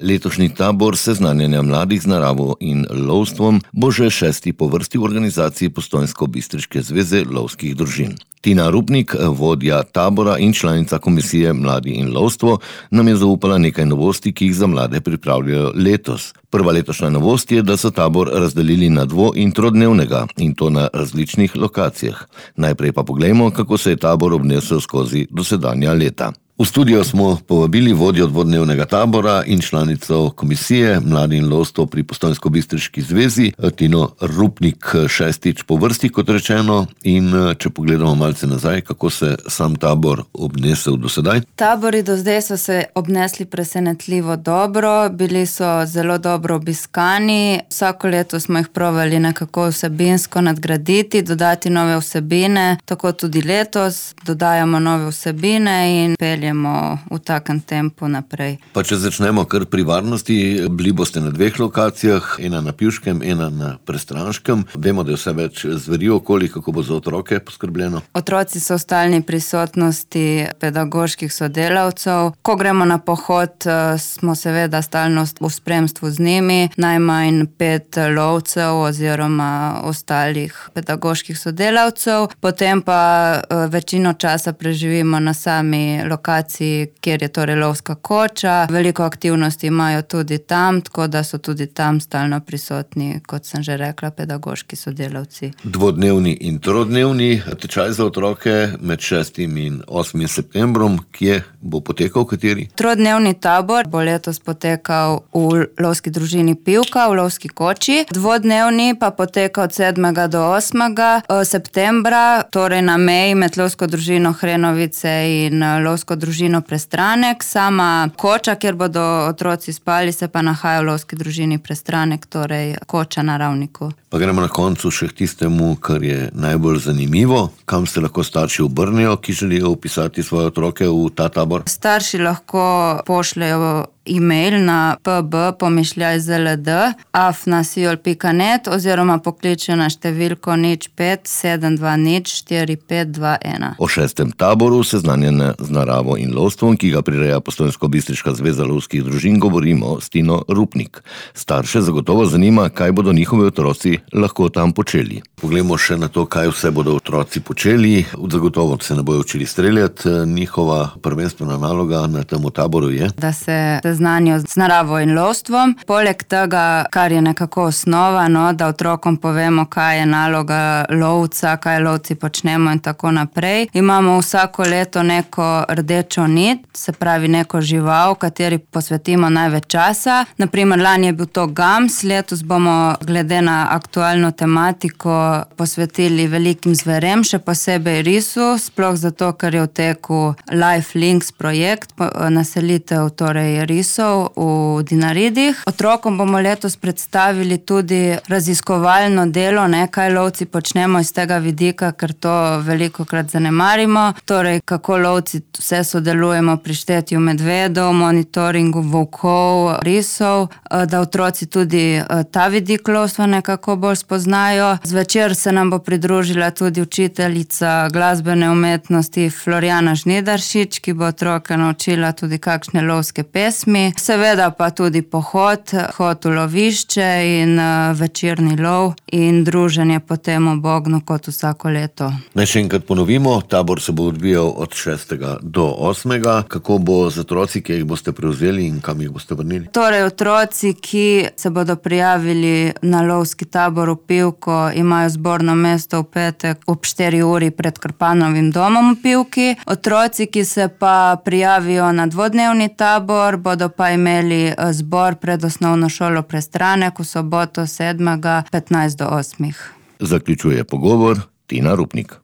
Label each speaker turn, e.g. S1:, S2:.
S1: Letošnji tabor seznanjanja mladih z naravo in lovstvom bo že 6. po vrsti v organizaciji Postojnsko-bistriške zveze lovskih družin. Tina Rupnik, vodja tabora in članica komisije Mladi in lovstvo, nam je zaupala nekaj novosti, ki jih za mlade pripravljajo letos. Prva letošnja novost je, da so tabor razdelili na dvo- in trodnevnega, in to na različnih lokacijah. Najprej pa poglejmo, kako se je tabor obnesel skozi dosedanja leta. V studio smo povabili vodjo dvodnevnega tabora in članico komisije Mladi in lovstvo pri Postojnsko-bistriški zvezi, Tino Rupnik, 6. po vrsti, kot rečeno. In če pogledamo malce nazaj, kako se sam tabor obnesel do sedaj?
S2: Tabori do zdaj so se obnesli presenetljivo dobro, bili so zelo dobro obiskani. Vsako leto smo jih provali nekako vsebinsko nadgraditi, dodati nove vsebine, tako tudi letos dodajamo nove vsebine in peljemo v takem tempu naprej.
S1: Pa če začnemo kar pri varnosti, bili boste na dveh lokacijah, ena na Pivškem, ena na Prestranškem. Vemo, da je vse več zveri okoli, kako bo za otroke poskrbljeno?
S2: Otroci so v stalni prisotnosti pedagoških sodelavcev. Ko gremo na pohod, smo seveda stalno v spremstvu z njimi, najmanj 5 lovcev oziroma ostalih pedagoških sodelavcev. Potem pa večino časa preživimo na sami lokaciji, kjer je torej lovska koča. Veliko aktivnosti imajo tudi tam, tako da so tudi tam stalno prisotni, kot sem že rekla, pedagoški sodelavci.
S1: Dvodnevni in trodnevni tečaj za otroke med 6. in 8. septembrom, kje bo potekal, kateri?
S2: Trodnevni tabor bo letos potekal v lovski družini Pivka, v lovski koči. Dvodnevni pa poteka od 7. do 8. septembra, torej na meji med lovsko družino Hrenovice in lovsko družino Prestranek. Sama koča, kjer bodo otroci spali, se pa nahaja v lovski družini Prestranek, torej koča na Ravniku.
S1: Pa gremo na koncu še k tistemu, kar je najbolj zanimivo. Kam se lahko starši obrnejo, ki želijo vpisati svoje otroke v ta tabor?
S2: Starši lahko pošljejo e-mail na pb@zld.afnasiol.net oziroma pokličejo na številko 05 720 4521.
S1: O 6. taboru seznanjanja z naravo in lovstvom, ki ga prireja Postojnsko-bistriška zveza lovskih družin, govorimo s Tino Rupnik. Starše zagotovo zanima, kaj bodo njihovi otroci lahko tam počeli. Poglejmo še na to, kaj vse bodo otroci počeli. Zagotovo se ne bojo učili streljati. Njihova prvenstvena naloga na tem taboru je,
S2: da se znanijo z naravo in lovstvom. Poleg tega, kar je nekako osnova, da otrokom povemo, kaj je naloga lovca, kaj lovci počnemo in tako naprej. Imamo vsako leto neko rdečo nit, se pravi neko žival, kateri posvetimo največ časa. Naprimer, lani je bil to gams, letos bomo glede na aktualno tematiko posvetili velikim zverem, še posebej risu, sploh zato, ker je v teku Life Links projekt, naselitev torej risov v Dinaridih. Otrokom bomo letos predstavili tudi raziskovalno delo, kaj lovci počnemo iz tega vidika, ker to velikokrat zanemarimo. Torej, kako lovci vse sodelujemo pri štetju medvedov, monitoringu volkov, risov, da otroci tudi ta vidik lovstva nekako bolj spoznajo. Zvečer se nam bo pridružila tudi učiteljica glasbene umetnosti Florjana Žnidaršič, ki bo otroke naučila tudi kakšne lovske pesmi. Seveda pa tudi pohod v lovišče in večerni lov in druženje potem ob ognju kot vsako leto.
S1: Naj še enkrat ponovimo, tabor se bo odvijal od 6. do 8. Kako bo z otroci, ki jih boste prevzeli in kam jih boste vrnili?
S2: Torej, otroci, ki se bodo prijavili na lovski tabor v Pivko, imajo zborno mesto v petek ob 4 uri pred Krpanovim domom v Pivki. Otroci, ki se pa prijavijo na dvodnevni tabor, bodo pa imeli zbor pred osnovno šolo Prestranek v soboto 7. 15 do 8.
S1: Zaključuje pogovor Tina Rupnik.